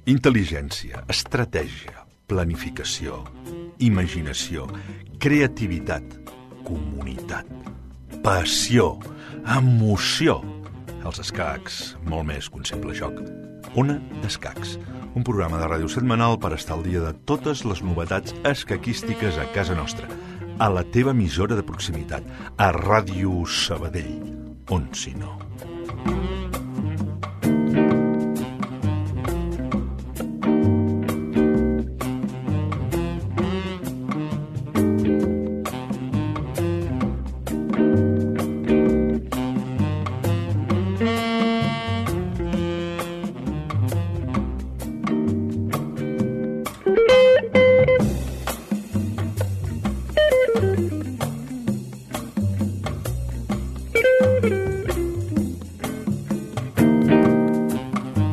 Intel·ligència, estratègia, planificació, imaginació, creativitat, comunitat, passió, emoció. Els escacs, molt més que un simple joc. Ona d'Escacs, un programa de ràdio setmanal per estar al dia de totes les novetats escaquístiques a casa nostra, a la teva emissora de proximitat, a Ràdio Sabadell, on si no.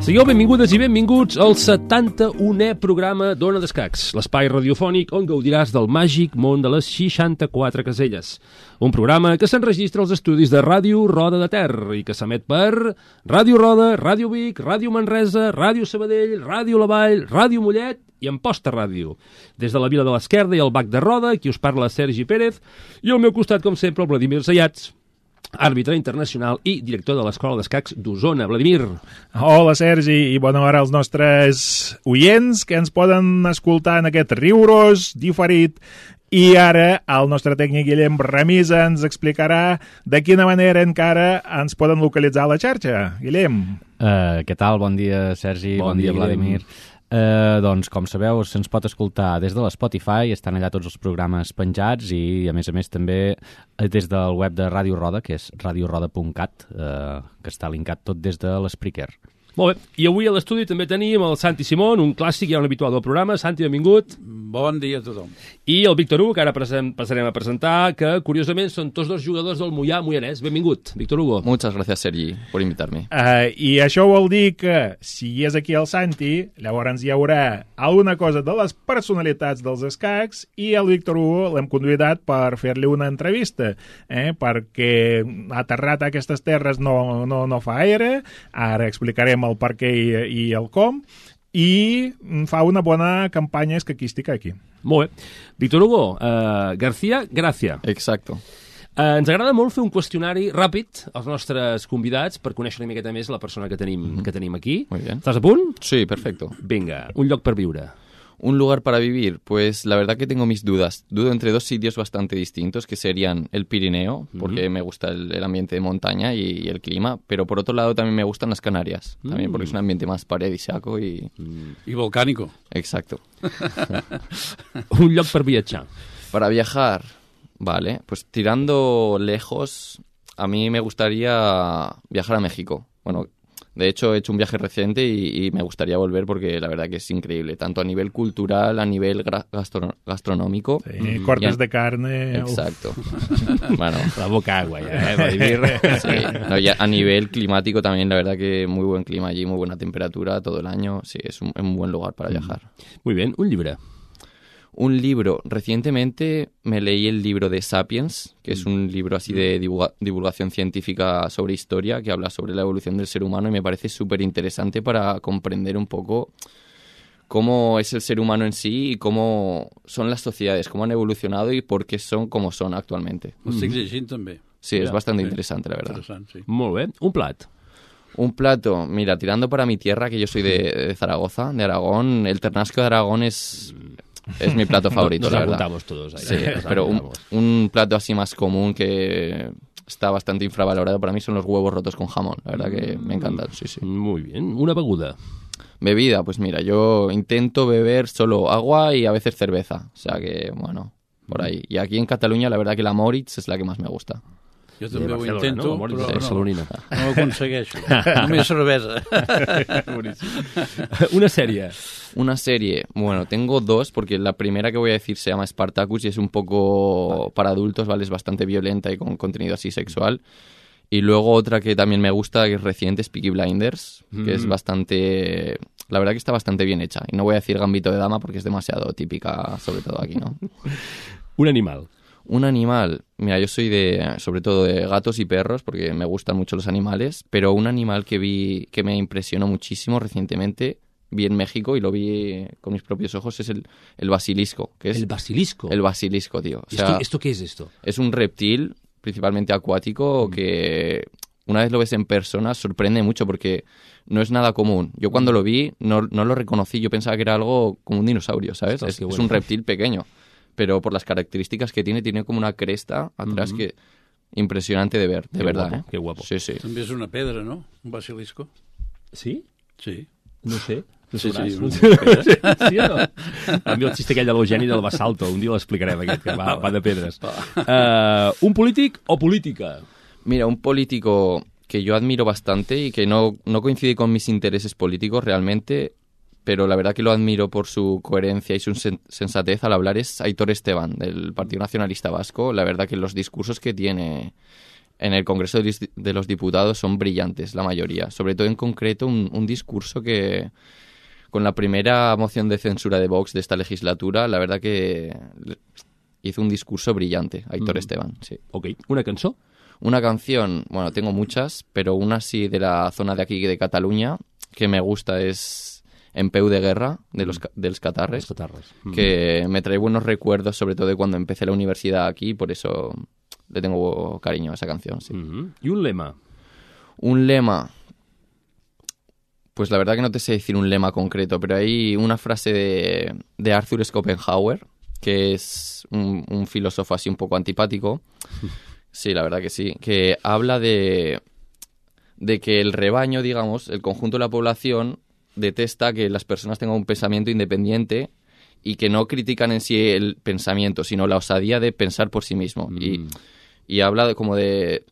Sigueu benvingudes i benvinguts al 71è programa d'Ona d'Escacs, l'espai radiofònic on gaudiràs del màgic món de les 64 caselles. Un programa que s'enregistra als estudis de Ràdio Roda de Ter i que s'emet per Ràdio Roda, Ràdio Vic, Ràdio Manresa, Ràdio Sabadell, Ràdio La Vall, Ràdio Mollet i Amposta Ràdio. Des de la Vila de l'Esquerda i el Bac de Roda, qui us parla Sergi Pérez, i al meu costat, com sempre, el Vladimir Zayats, àrbitre internacional i director de l'Escola d'Escacs d'Osona. Vladimir. Hola, Sergi, i bona hora als nostres oients que ens poden escoltar en aquest riurós diferit. I ara el nostre tècnic Guillem Ramisa ens explicarà de quina manera encara ens poden localitzar a la xarxa. Guillem. Què tal? Bon dia, Sergi. Bon dia, Vladimir. Doncs, com sabeu, se'ns pot escoltar des de l'Spotify, estan allà tots els programes penjats i, a més, també des del web de Ràdio Roda, que és radioroda.cat, que està linkat tot des de l'Spreaker. Molt bé, i avui a l'estudi també tenim el Santi Simón, un clàssic ja un habitual del programa. Santi, benvingut. Bon dia a tothom. I el Víctor Hugo, que ara passarem a presentar, que curiosament són tots dos jugadors del Moianès. Benvingut, Víctor Hugo. Muchas gracias, Sergi, por invitarme. I això vol dir que, si hi és aquí el Santi, llavors hi haurà alguna cosa de les personalitats dels escacs i el Víctor Hugo l'hem convidat per fer-li una entrevista, perquè ha aterrat a aquestes terres no fa gaire, ara explicarem el per què i el com, i fa una bona campanya escaquística aquí. Molt bé. Víctor Hugo, García Gracia. Exacto. Ens agrada molt fer un qüestionari ràpid als nostres convidats per conèixer una miqueta més la persona que tenim aquí. Muy bien. Estàs a punt? Sí, perfecto. Vinga, un lloc per viure. Un lugar para vivir, pues la verdad que tengo mis dudas. Dudo entre dos sitios bastante distintos, que serían el Pirineo, porque me gusta el ambiente de montaña y el clima, pero por otro lado también me gustan las Canarias, también porque es un ambiente más paradisíaco y... Y volcánico. Exacto. Un lloc per viatjar. Para viajar, vale, pues tirando lejos, a mí me gustaría viajar a México. Bueno, de hecho, he hecho un viaje reciente y me gustaría volver porque la verdad que es increíble, tanto a nivel cultural, a nivel gastronómico. Sí, cortes de carne. Exacto. Bueno, la boca agua ya, Vladimir. Sí, no, ya a nivel climático también, la verdad que muy buen clima allí, muy buena temperatura todo el año. Sí, es un buen lugar para viajar. Muy bien, un llibre. Un libro. Recientemente me leí el libro de Sapiens, que es un libro así de divulgación científica sobre historia, que habla sobre la evolución del ser humano y me parece súper interesante para comprender un poco cómo es el ser humano en sí y cómo son las sociedades, cómo han evolucionado y por qué son como son actualmente. Ho estic llegint també. Sí, es bastante interesante, la verdad. Sí. Molt bé. Un plat. Un plato, mira, tirando para mi tierra, que yo soy de Zaragoza, de Aragón, el ternasco de Aragón es mi plato favorito, la verdad. Nos apuntamos todos ahí. Sí, pero un plato así más común que está bastante infravalorado para mí son los huevos rotos con jamón. La verdad que me encantan, sí. Muy bien. Una beguda. Bebida, pues mira, yo intento beber solo agua y a veces cerveza. O sea que, bueno, por ahí. Y aquí en Cataluña la verdad que la Moritz es la que más me gusta. Jo també ho intento, no? però no ho aconsegueixo. Només cervesa. Una sèrie. Una serie. Bueno, tengo dos, porque la primera que voy a decir se llama Spartacus y es un poco para adultos, ¿vale? Es bastante violenta y con contenido así sexual. Y luego otra que también me gusta, que es reciente, es Peaky Blinders, que es bastante... La verdad que está bastante bien hecha. Y no voy a decir Gambito de Dama porque es demasiado típica, sobre todo aquí, ¿no? Un animal. Un animal, mira, yo soy sobre todo de gatos y perros porque me gustan mucho los animales, pero un animal que vi que me impresionó muchísimo recientemente, vi en México y lo vi con mis propios ojos, es el basilisco. Que es ¿El basilisco? El basilisco, tío. O sea, ¿Esto qué es esto? es un reptil, principalmente acuático, que una vez lo ves en persona sorprende mucho porque no es nada común. Yo cuando lo vi no lo reconocí, yo pensaba que era algo como un dinosaurio, ¿sabes? Ostras, qué Es bueno. un reptil pequeño, pero por las características que tiene como una cresta atrás que impresionante de ver, de Qué verdad. guapo, qué guapo. Sí, sí. També és una pedra, no? Un basilisco. Sí? Sí. No sé. No Sí, sabràs. sí, Sí o no? A mi el xiste aquell de l'Eugeni del Basalto, un dia l'explicarem aquest, que va de pedres. Un polític o política? Mira, un político que yo admiro bastante y que no coincide con mis intereses políticos realmente, pero la verdad que lo admiro por su coherencia y su sensatez al hablar es Aitor Esteban, del Partido Nacionalista Vasco. La verdad que los discursos que tiene en el Congreso de los Diputados son brillantes, la mayoría. Sobre todo en concreto un discurso que, con la primera moción de censura de Vox de esta legislatura, la verdad que hizo un discurso brillante, Aitor Esteban, sí. Ok. Una cançó? Una canción, bueno, tengo muchas, pero una sí de la zona de aquí de Cataluña que me gusta es En peu de guerra, dels Catarres, Els Catarres. que me trae buenos recuerdos, sobre todo de cuando empecé la universidad aquí, por eso le tengo cariño a esa canción, sí. I un lema? Un lema, pues la verdad que no te sé decir un lema concreto, pero hay una frase de Arthur Schopenhauer, que es un filósofo así un poco antipático. Sí, la verdad que sí. Que habla de que el rebaño, digamos, el conjunto de la población detesta que las personas tengan un pensamiento independiente y que no critican en sí el pensamiento, sino la osadía de pensar por sí mismo. Y habla de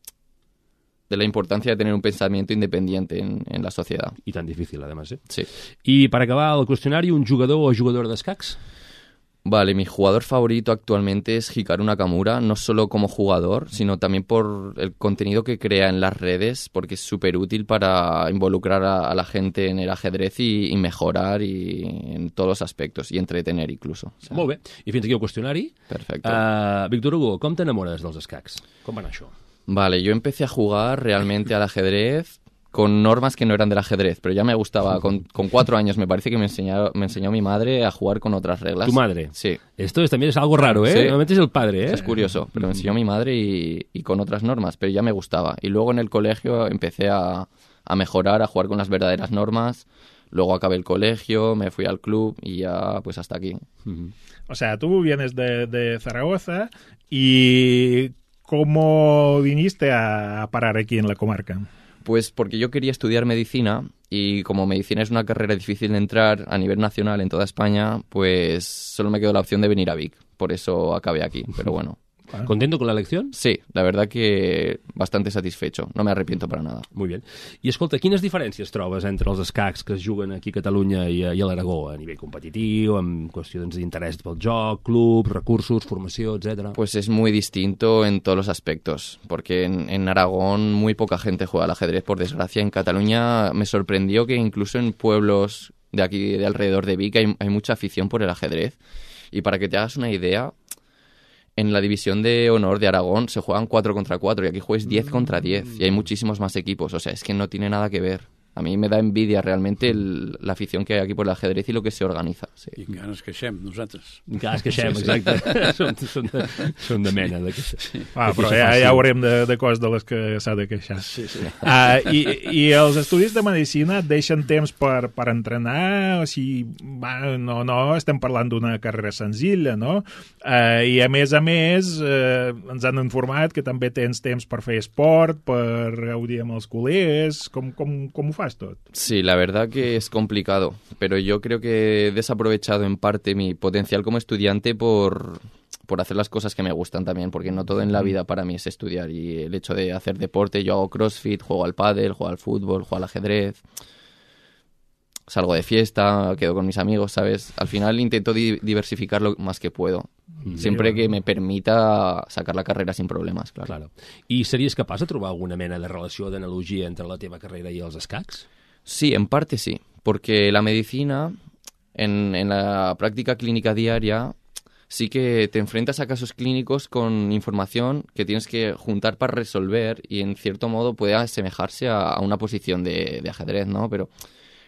la importancia de tener un pensamiento independiente en la sociedad. I tan difícil, además, Sí. I per acabar el qüestionari, un jugador o jugadora d'escacs? Vale, mi jugador favorito actualmente es Hikaru Nakamura, no solo como jugador, sino también por el contenido que crea en las redes, porque es súper útil para involucrar a la gente en el ajedrez y mejorar y en todos los aspectos, y entretener incluso. O sea, Molt bé. I fins aquí el qüestionari. perfecto. Víctor Hugo, com t'enamores dels escacs? Com va anar això? Vale, yo empecé a jugar realmente al ajedrez con normas que no eran del ajedrez, pero ya me gustaba. Con 4 años me parece que me enseñó mi madre a jugar con otras reglas. Tu madre? Sí. Esto también es algo raro, ¿eh? Sí. Normalmente es el padre, ¿eh? Es curioso, pero me enseñó mi madre y con otras normas, pero ya me gustaba. Y luego en el colegio empecé a mejorar, a jugar con las verdaderas normas. Luego acabé el colegio, me fui al club y ya pues hasta aquí. O sea, tú vienes de Zaragoza y ¿cómo viniste a parar aquí en la comarca? Pues porque yo quería estudiar medicina y como medicina es una carrera difícil de entrar a nivel nacional en toda España, pues solo me quedó la opción de venir a Vic. Por eso acabé aquí, pero bueno. ¿Contento con la elección? Sí, la verdad que bastante satisfecho. No me arrepiento para nada. Muy bien. I escolta, quines diferències trobes entre els escacs que es juguen aquí a Catalunya i a l'Aragó, a nivell competitiu, amb qüestions d'interès pel joc, clubs, recursos, formació, etc. Pues es muy distinto en todos los aspectos, porque en Aragón muy poca gente juega al ajedrez, por desgracia. En Cataluña me sorprendió que incluso en pueblos de aquí, de alrededor de Vic, hay mucha afición por el ajedrez. Y para que te hagas una idea, en la división de honor de Aragón se juegan 4 contra 4 y aquí juegas 10 contra 10 y hay muchísimos más equipos. O sea, es que no tiene nada que ver. A mí me da envidia realmente la afición que hay aquí por el ajedrez y lo que se organiza. Sí. I encara ens queixem, nosaltres. Encara es queixem, exacte. Són de mena d'aquesta. Però ja veurem de coses de les que s'ha de queixar. Sí. I els estudis de medicina et deixen temps per entrenar? O sigui, no estem parlant d'una carrera senzilla, no? I a més, ens han informat que també tens temps per fer esport, per gaudir amb els col·legues. Com ho fas tot? Sí, la verdad que es complicado, pero yo creo que he desaprovechado en parte mi potencial como estudiante por hacer las cosas que me gustan también, porque no todo en la vida para mí es estudiar, y el hecho de hacer deporte, yo hago crossfit, juego al pádel, juego al fútbol, juego al ajedrez, salgo de fiesta, quedo con mis amigos, ¿sabes? Al final intento diversificar lo más que puedo, siempre que me permita sacar la carrera sin problemas, claro. I series capaç de trobar alguna mena de relació, d'analogia entre la teva carrera i els escacs? Sí, en parte sí, porque la medicina, en la práctica clínica diaria, sí que te enfrentas a casos clínicos con información que tienes que juntar para resolver y en cierto modo puede asemejarse a una posición de ajedrez, ¿no? Pero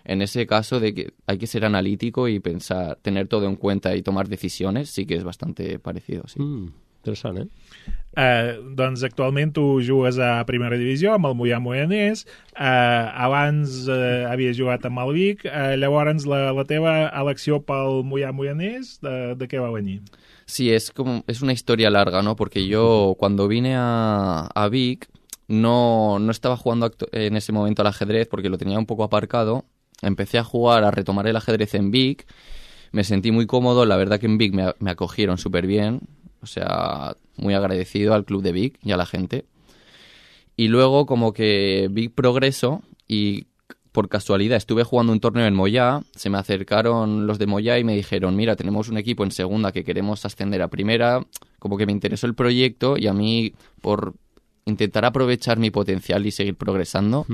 en ese caso de que hay que ser analítico y pensar, tener todo en cuenta y tomar decisiones, sí que és bastante parecido, sí. Interessant, Doncs actualment tu jugues a primera divisió amb el Moià Moianès, abans havies jugat amb el Vic, llavors la teva elecció pel Moià Moianès, de què va venir? Sí, es una historia larga, ¿no? Porque yo cuando vine a Vic no estaba jugando en ese momento al ajedrez porque lo tenía un poco aparcado. Empecé a jugar, a retomar el ajedrez en Vic. Me sentí muy cómodo. La verdad que en Vic me acogieron súper bien. O sea, muy agradecido al club de Vic y a la gente. Y luego como que vi progreso y por casualidad estuve jugando un torneo en Moyà, se me acercaron los de Moyà y me dijeron, mira, tenemos un equipo en segunda que queremos ascender a primera, como que me interesó el proyecto y a mí por intentar aprovechar mi potencial y seguir progresando,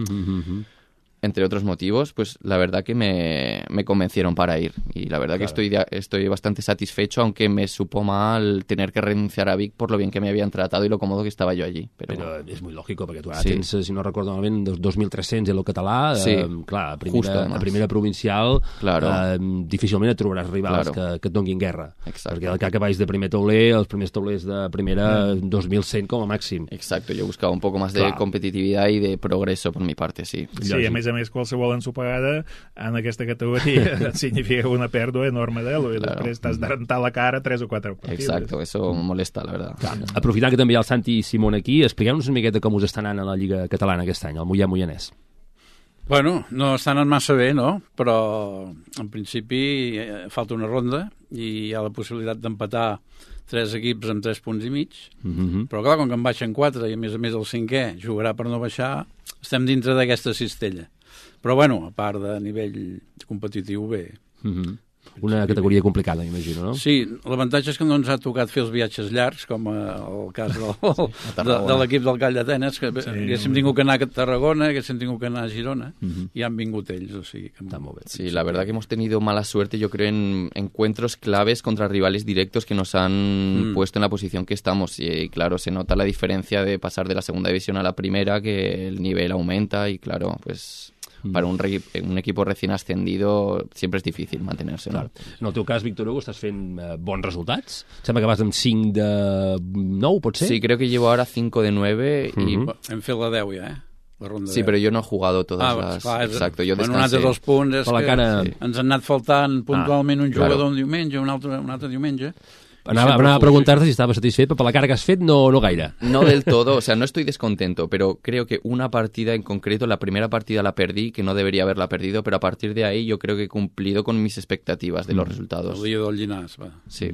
entre otros motivos, pues la verdad que me convencieron para ir. Y la verdad que estoy bastante satisfecho, aunque me supo mal tener que renunciar a Vic por lo bien que me habían tratado y lo cómodo que estaba yo allí. Però és molt lògic, perquè tu ara tens, si no recordo malament, 2.300 en el català. Clar, a primera provincial difícilment et trobaràs rivals que et donguin guerra. Exacto. Perquè al que baix de primer tauler, els primers taulers de primera, 2.100 com a màxim. Exacto, yo buscaba un poco más de competitividad y de progreso por mi parte, sí. Sí, a més qualsevol ensopegada en aquesta categoria significa una pèrdua enorme d'elo i després t'has de rentar la cara 3 o 4 partides. Exacto, eso molesta, la verdad. Aprofitant que també hi ha el Santi i Simón aquí, expliqueu-nos una miqueta com us està anant a la Lliga Catalana aquest any, el Moià Moianès. Bueno, no està anant massa bé, no? Però en principi falta una ronda i hi ha la possibilitat d'empatar 3 equips amb 3 punts i mig, però clar, com que en baixen 4 i a més el 5è jugarà per no baixar, estem dintre d'aquesta cistella. Però bueno, a part de nivell competitiu, bé. Una categoria complicada, imagino, no? Sí, l'avantatge és que no ens ha tocat fer els viatges llargs, com el cas de l'equip del Call d'Atenes, que haguéssim tingut que anar a Tarragona, haguéssim tingut que anar a Girona, i han vingut ells, o sigui que està molt bé. Sí, la verdad que hemos tenido mala suerte, yo creo, en encuentros claves contra rivales directos que nos han puesto en la posición que estamos, y claro, se nota la diferencia de pasar de la segunda división a la primera, que el nivel aumenta, y claro, pues para un equipo recién ascendido siempre es difícil mantenerse. Claro. En el teu cas, Víctor Hugo, estàs fent bons resultats? Sembla que vas amb 5 de 9, pot ser? Sí, creo que llevo ahora 5 de 9 y... Hem fet la 10 ja, La ronda sí, 10. pero yo no he jugado todas las... Clar, exacto, yo descansé. Un altre 2 punts és que ens han anat faltant puntualment un jugador un diumenge, un altre diumenge. Anava a preguntar-te si estaba satisfet, però per la cara que has fet no gaire. No del todo, o sea, no estoy descontento, pero creo que una partida en concreto, la primera partida la perdí, que no debería haberla perdido, pero a partir de ahí yo creo que he cumplido con mis expectativas de los resultados. El dia del Llinàs, va. Sí.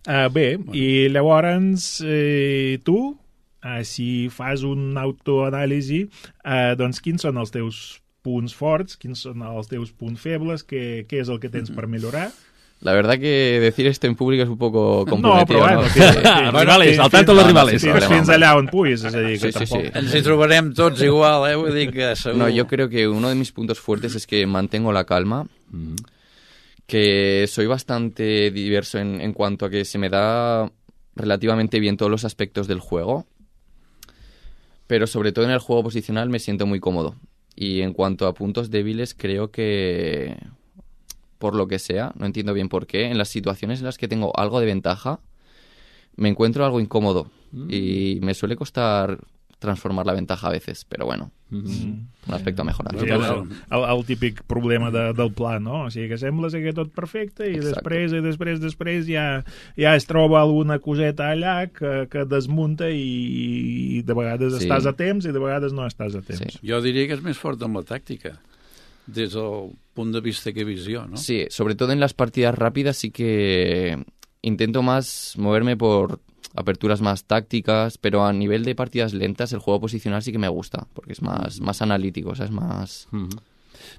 Bé, i llavors tu, si fas un autoanàlisi, doncs quins són els teus punts forts, quins són els teus punts febles, què és el que tens per millorar? La verdad que decir esto en público es un poco comprometido. No, però rivales, al tanto los rivales. Fins allà on puguis, és a dir, que tampoc... Ens hi trobarem tots igual, vull dir que segur... No, yo creo que uno de mis puntos fuertes es que mantengo la calma, que soy bastante diverso en cuanto a que se me da relativamente bien todos los aspectos del juego, pero sobre todo en el juego posicional me siento muy cómodo. Y en cuanto a puntos débiles, creo que... por lo que sea, no entiendo bien por qué, en las situaciones en las que tengo algo de ventaja, me encuentro algo incómodo y me suele costar transformar la ventaja a veces, pero bueno, un aspecto a mejorar. Sí, el típic problema del pla, no? O sigui que sembla que tot perfecte i després ja es troba alguna coseta allà que desmunta i de vegades estàs a temps i de vegades no estàs a temps. Jo diria que és més fort amb la tàctica, des del punto de vista que visión, ¿no? Sí, sobre todo en las partidas rápidas sí que intento más moverme por aperturas más tácticas, pero a nivel de partidas lentas el juego posicional sí que me gusta, porque es más analítico, o sea, es más...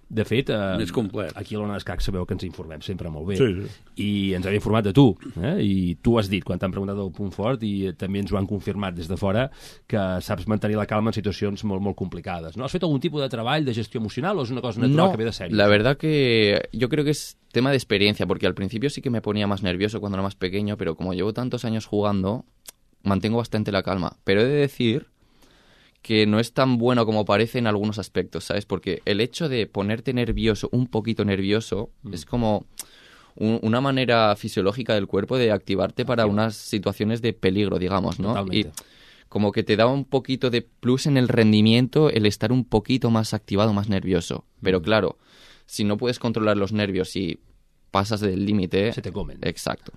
De fet, més complet. aquí a l'Ona d'Escacs sabeu que ens informem sempre molt bé. Sí. I ens hem informat de tu. I tu has dit, quan t'han preguntat el punt fort, i també ens ho han confirmat des de fora, que saps mantenir la calma en situacions molt, molt complicades. ¿No? ¿Has fet algún tipo de treball de gestió emocional o és una cosa natural que ve de sèrie? La verdad que yo creo que es tema de experiencia, porque al principio sí que me ponía más nervioso cuando era más pequeño, pero como llevo tantos años jugando, mantengo bastante la calma. Pero he de decir que no es tan bueno como parece en algunos aspectos, ¿sabes? Porque el hecho de ponerte nervioso, un poquito nervioso, es como una manera fisiológica del cuerpo de activarte para unas situaciones de peligro, digamos, ¿no? Totalmente. Y como que te da un poquito de plus en el rendimiento el estar un poquito más activado, más nervioso. Pero claro, si no puedes controlar los nervios y pasas del límite... Se te comen. Exacto.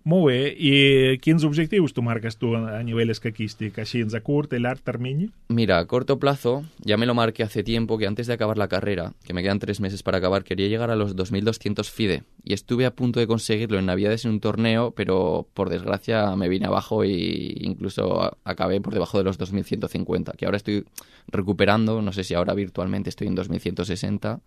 Molt bé, i quins objectius tu marques tu a nivell escaquístic, així a curt i llarg termini? Mira, a corto plazo, ya me lo marqué hace tiempo, que antes de acabar la carrera, que me quedan 3 meses para acabar, quería llegar a los 2.200 FIDE. Y estuve a punto de conseguirlo en Navidades en un torneo, pero por desgracia me vine abajo e incluso acabé por debajo de los 2.150, que ahora estoy recuperando, no sé si ahora virtualmente estoy en 2.160.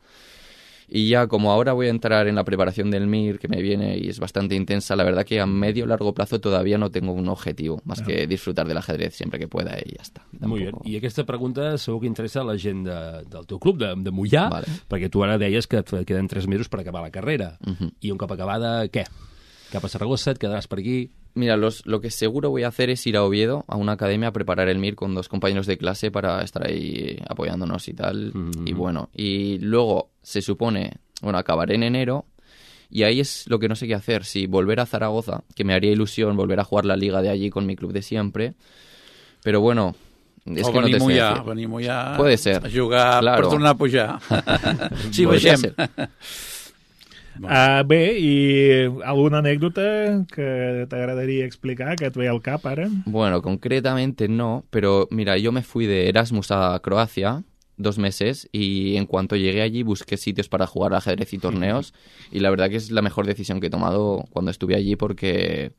Y ya como ahora voy a entrar en la preparación del MIR, que me viene y es bastante intensa, la verdad que a medio largo plazo todavía no tengo un objetivo, más que disfrutar del ajedrez siempre que pueda y ya está. Molt bé. I aquesta pregunta segur que interessa a la gent del teu club, de Mollà, Vale. perquè tu ara deies que et queden 3 mesos per acabar la carrera. I un cop acabada, què? Cap a Saragossa, et quedaràs per aquí? Mira, lo que seguro voy a hacer es ir a Oviedo, a una academia, a preparar el MIR con 2 compañeros de clase para estar ahí apoyándonos y tal. Y bueno, y luego se supone, bueno, acabaré en enero y ahí es lo que no sé qué hacer. Si volver a Zaragoza, que me haría ilusión volver a jugar la liga de allí con mi club de siempre, pero bueno... És que no te sé decir. Venir a Mollà, Puede ser. a jugar Claro. per tornar a pujar. Sí, Podria vegem. ser. Bé, i alguna anècdota que t'agradaria explicar, que et ve al cap ara? Bueno, concretamente no, pero mira, yo me fui de Erasmus a Croacia 2 meses y en cuanto llegué allí busqué sitios para jugar ajedrez y torneos y la verdad que es la mejor decisión que he tomado cuando estuve allí porque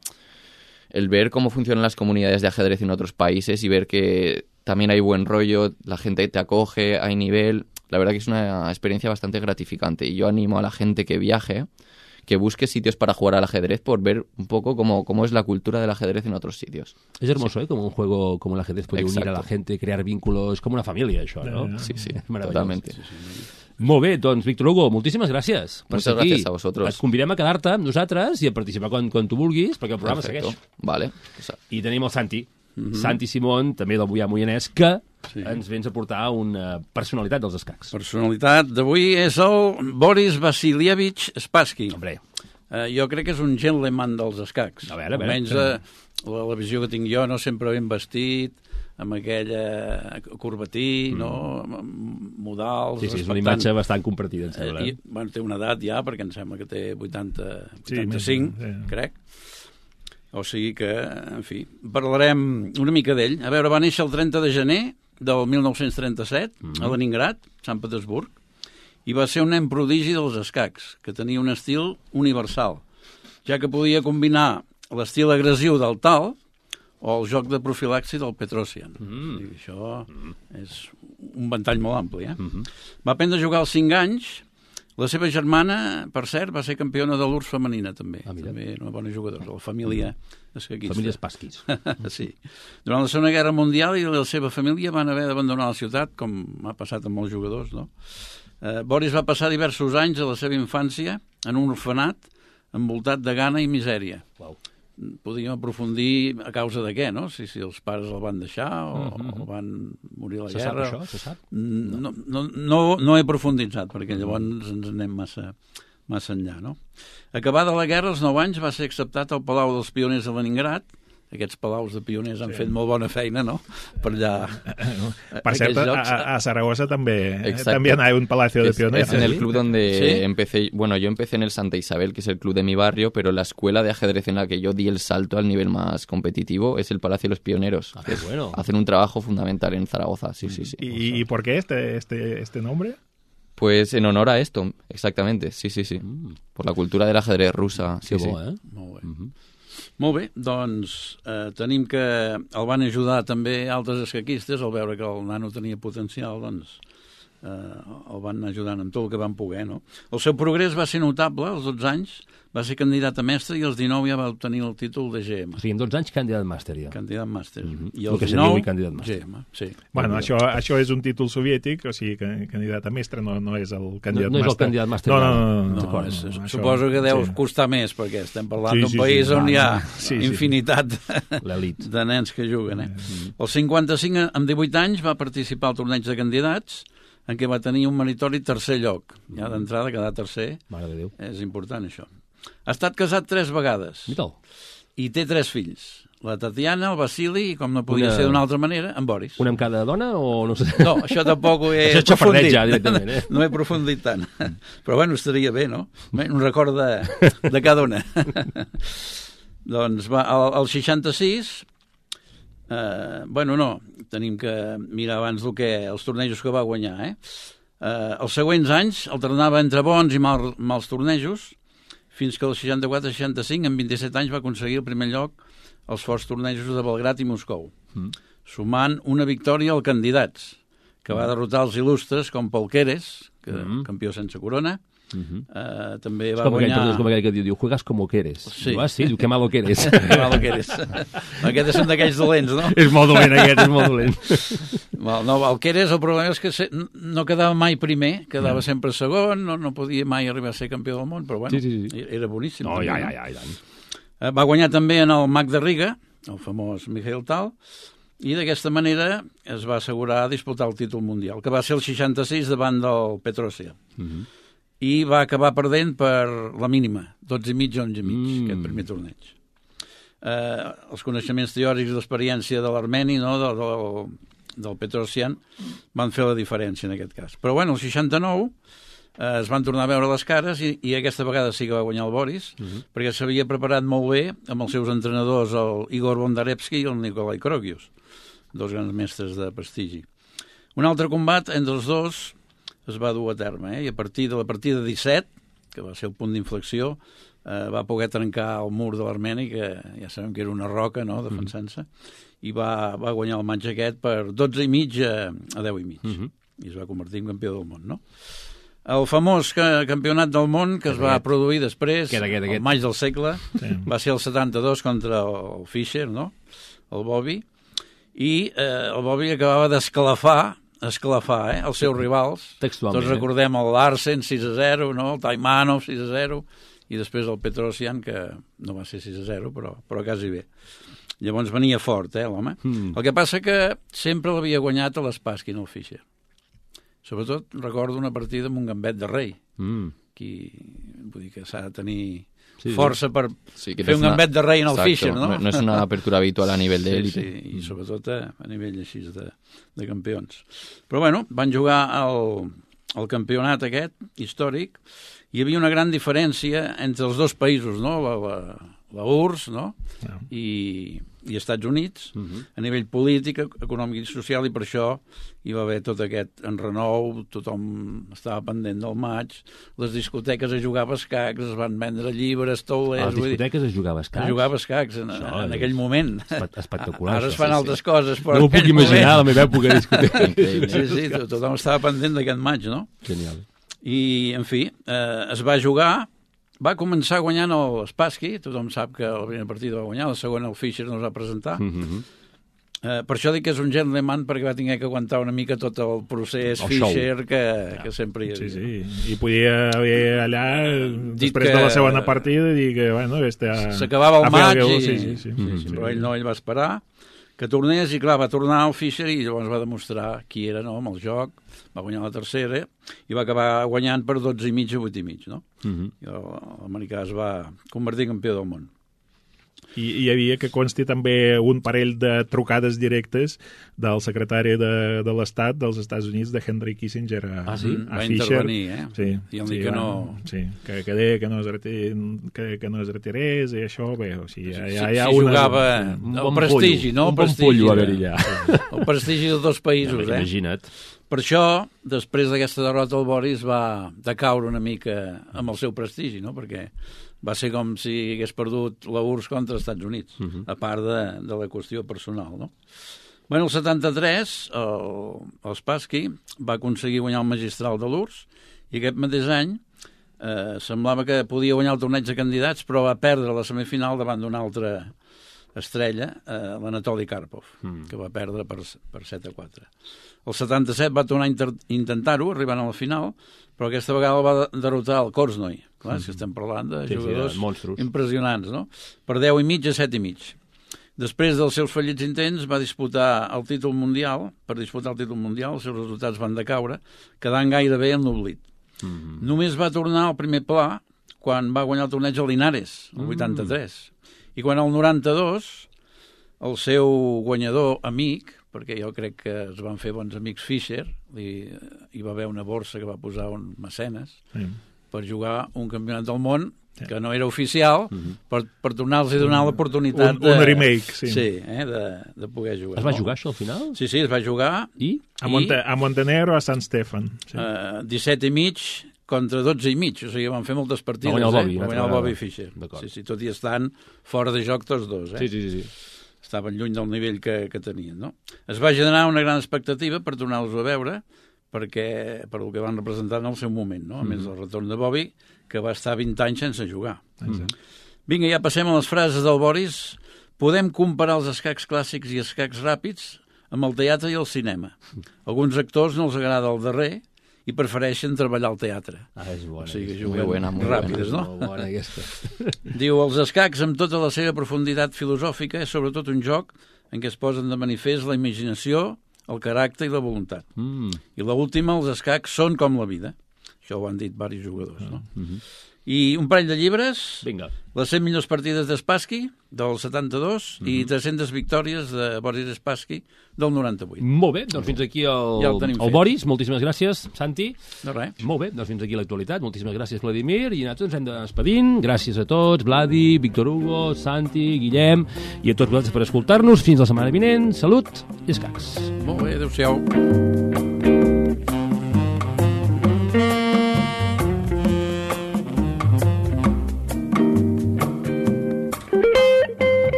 el ver cómo funcionan las comunidades de ajedrez en otros países y ver que también hay buen rollo, la gente te acoge, hay nivel, la verdad que es una experiencia bastante gratificante y yo animo a la gente que viaje, que busque sitios para jugar al ajedrez por ver un poco cómo es la cultura del ajedrez en otros sitios. Es hermoso, ¿eh? Como un juego como el ajedrez puede unir a la gente, crear vínculos, como una familia, això, no? Sí, sí, Meravellós. totalmente. Molt bé, doncs, Víctor Hugo, moltíssimes gràcies per Muchas ser aquí. gracias a vosotros. Et convidem a quedar-te amb nosaltres i a participar quan tu vulguis, perquè el programa Perfecto. segueix. Vale. I tenim el Santi, Santi Simón, també del Mollà Moianès, que ens vens a portar una personalitat dels escacs. Personalitat d'avui és el Boris Vasilyevich Spassky. Hombre, Jo crec que és un gentleman dels escacs. A veure. Almenys la visió que tinc jo, no sempre ben vestit, amb aquella corbatí, no? Amb modals... sí, és una imatge bastant compartida, em sembla. Bueno, té una edat ja, perquè em sembla que té 85, sí. crec. O sigui que, en fi, parlarem una mica d'ell. A veure, va néixer el 30 de gener del 1937 a Leningrad, Sant Petersburg, i va ser un nen prodigi dels escacs, que tenia un estil universal, ja que podia combinar l'estil agressiu del tal o el joc de profilaxi del Petrosian. I això és un ventall molt ampli. Va aprendre a jugar als 5 anys. La seva germana, per cert, va ser campiona de l'URSS femenina, també. També una bona jugadora, la família escaquista. Família Spassky. Sí. Durant la Segona Guerra Mundial i la seva família van haver d'abandonar la ciutat, com ha passat amb molts jugadors, no? Boris va passar diversos anys de la seva infància en un orfenat envoltat de gana i misèria. Uau. Podríem aprofundir a causa de què, no? Si els pares el van deixar o van morir a la guerra. Se sap això? Se sap? No he profunditzat, perquè llavors ens anem massa enllà, no? Acabada la guerra, als 9 anys, va ser acceptat al Palau dels Pioners de Leningrad. Aquests palaus de pioners han fet molt bona feina, no? Per allà... Per cert, a Zaragoza també hay un palacio de pioneros. Es en el club donde empecé. Bueno, yo empecé en el Santa Isabel, que es el club de mi barrio, pero la escuela de ajedrez en la que yo di el salto al nivel más competitivo es el Palacio de los Pioneros. Ah, qué bueno. Hacen un trabajo fundamental en Zaragoza, sí. ¿Y por qué este nombre? Pues en honor a esto, exactamente, sí. Por la cultura del ajedrez rusa. Que bo, eh? Molt bé. Molt bé, doncs tenim que el van ajudar també altres escaquistes, al veure que el nano tenia potencial, doncs el van anar ajudant amb tot el que van poder, no? El seu progrés va ser notable, als 12 anys, va ser candidat a mestre i als 19 ja va obtenir el títol de GM. O sigui, en 12 anys candidat màster, ja. Candidat màster. I El als que seria 19, avui candidat màster. GM, sí. Bueno, això és un títol soviètic, o sigui, candidat a mestre no és el candidat No és el màster. candidat màster. No. No, això- suposo que deu sí. costar més, perquè estem parlant Sí, d'un sí, país sí. on hi ha Sí. infinitat L'elit. de nens que juguen. El 55, amb 18 anys, va participar al torneig de candidats, en què va tenir un meritori tercer lloc. Ja d'entrada, quedar tercer Mare de Déu. és important, això. Ha estat casat 3 vegades Mita'l. i té 3 fills. La Tatiana, el Vasili i, com no podia ser d'una altra manera, en Boris. Una amb cada dona o no sé? No, això tampoc ho he Això és xafardeig aprofundit. ja, directament, eh? No he aprofundit tant. Però bueno, estaria bé, no? Bé, un record de cada una. Doncs va, al 66... bueno, no, tenim que mirar abans els tornejos que va guanyar, els següents anys alternava entre bons i mals tornejos, fins que el 64-65, en 27 anys, va aconseguir el primer lloc als forts tornejos de Belgrat i Moscou, sumant una victòria al candidats, que va derrotar els il·lustres com Paul Keres, campió sense corona. També va guanyar... És com aquell que diu, juegas como que eres. Sí. Diu, sí, diu, que malo que eres. Que malo que eres. Aquests són d'aquells dolents, no? És molt dolent, aquest, és molt dolent. No, el que eres, el problema és que no quedava mai primer, quedava sempre segon, no podia mai arribar a ser campió del món, però bueno, Sí. era boníssim. No, també, ja. Va guanyar també en el Mag de Riga, el famós Mikhail Tal, i d'aquesta manera es va assegurar disputar el títol mundial, que va ser el 66 davant del Petrosya. I va acabar perdent per la mínima, 12,5 a 11,5, aquest primer torneig. Els coneixements teòrics i l'experiència de l'armeni, no, del Petrosyan, van fer la diferència en aquest cas. Però bueno, el 69 es van tornar a veure les cares i aquesta vegada sí que va guanyar el Boris, perquè s'havia preparat molt bé amb els seus entrenadors, el Igor Bondarevsky i el Nikolai Krogius, dos grans mestres de prestigi. Un altre combat entre els dos es va dur a terme, i a partir de la partida 17, que va ser el punt d'inflexió, va poder trencar el mur de l'Armeni, que ja sabem que era una roca, no?, defensant-se, i va guanyar el match aquest per 12,5 a 10,5, i es va convertir en campió del món, no? El famós campionat del món que es va produir després, el maig del segle, va ser el 72 contra el Fischer, no?, el Bobby, i el Bobby acabava d'esclafar els seus rivals. Textualment. Tots recordem el Larsen 6-0, no? El Taimanov 6-0, i després el Petrosyan, que no va ser 6-0, però quasi bé. Llavors venia fort, l'home. El que passa que sempre l'havia guanyat a l'Spassky, el Fischer. Sobretot recordo una partida amb un gambet de rei. Vull dir que s'ha de tenir força per fer un gambet de rei en el Fischer, no? No és una apertura habitual a nivell d'élite. Sí, i sobretot a nivell així de campions. Però bueno, van jugar el campionat aquest, històric, hi havia una gran diferència entre els dos països, no? La URSS, no? I Estats Units, a nivell polític, econòmic i social, i per això hi va haver tot aquest enrenou, tothom estava pendent del maig, les discoteques a jugar a escacs, es van vendre llibres, taulers... A les discoteques es jugava a escacs? Es jugava a escacs en aquell moment. Espectacular. Ara es fan altres coses, però... No ho puc imaginar, a la meva època de discoteca. Sí, tothom estava pendent d'aquest maig, no? Genial. I, en fi, es va jugar... Va començar guanyant el Spassky, tothom sap que la primera partida va guanyar, la segona el Fischer no es va presentar. Per això dic que és un gentleman, perquè va haver que aguantar una mica tot el procés Fischer que sempre hi havia. Sí. I podia haver allà, després de la segona partida, dir que, bueno... S'acabava el maig, però ell va esperar que tornés, i clar, va tornar al Fischer i llavors va demostrar qui era, no?, amb el joc, va guanyar la tercera i va acabar guanyant per 12,5 a 8,5, no? I l'americà es va convertir en campió del món. I hi havia, que consti també, un parell de trucades directes del secretari de l'Estat dels Estats Units, de Henry Kissinger, a va Fischer. intervenir, Sí, i el dir que no... Sí, que deia que no es retirés, i això, bé, o sigui, hi ha jugava el prestigi, no? Un bon pollo a haver-hi ja. El prestigi dels dos països, Imagina't. Per això, després d'aquesta derrota, el Boris va decaure una mica amb el seu prestigi, no? Perquè va ser com si hagués perdut la URSS contra els Estats Units, a part de la qüestió personal, no? Bueno, el 73, el Spassky va aconseguir guanyar el magistral de l'URSS i aquest mateix any semblava que podia guanyar el torneig de candidats, però va perdre la semifinal davant d'una altra estrella, l'Anatoli Karpov, que va perdre per 7-4. El 77 va tornar a intentar-ho, arribant a la final, però aquesta vegada el va derrotar el Korznoi. Clar, si estem parlant de jugadors impressionants, no? Per 10,5 a 7,5. Després dels seus fallits intents va disputar el títol mundial. Per disputar el títol mundial els seus resultats van decaure, quedant gairebé en l'oblit. Només va tornar al primer pla quan va guanyar el torneig a Linares, el 83. I quan el 92, el seu guanyador amic, perquè jo crec que es van fer bons amics Fischer, hi va haver una borsa que va posar un mecenes per jugar un campionat del món que no era oficial, per tornar-los a donar l'oportunitat un remake, sí. Sí, de poder jugar. Es va jugar això al final? Sí, es va jugar. I? A Montenegro, a Sant Stefan. Sí. 17,5 contra 12,5, o sigui, van fer moltes partides. Va guanyar el Bobby Fischer. Sí, tot i estan fora de joc tots dos. Sí. Estaven lluny del nivell que tenien, no? Es va generar una gran expectativa per tornar-los a veure, per el que van representar en el seu moment, no? A més del retorn de Bobby, que va estar 20 anys sense jugar. Vinga, ja passem a les frases del Boris. Podem comparar els escacs clàssics i escacs ràpids amb el teatre i el cinema. Alguns actors no els agrada el darrer i prefereixen treballar al teatre. És bona. O sigui, juguen ràpides, no? Molt bona aquesta. Diu, els escacs, amb tota la seva profunditat filosòfica, és sobretot un joc en què es posen de manifest la imaginació, el caràcter i la voluntat. I l'última, els escacs són com la vida. Això ho han dit diversos jugadors, no? I un parell de llibres. Vinga. Les 100 millors partides de Spassky, del 72, i 300 victòries de Boris Spassky, del 98. Molt bé, doncs fins aquí el Boris. Moltíssimes gràcies, Santi. De res. Molt bé, doncs fins aquí l'actualitat. Moltíssimes gràcies, Vladimir. I nosaltres ens hem de despedint. Gràcies a tots, Vladi, Víctor Hugo, Santi, Guillem, i a tots vosaltres per escoltar-nos. Fins la setmana vinent. Salut i escacs. Molt bé, adéu-siau.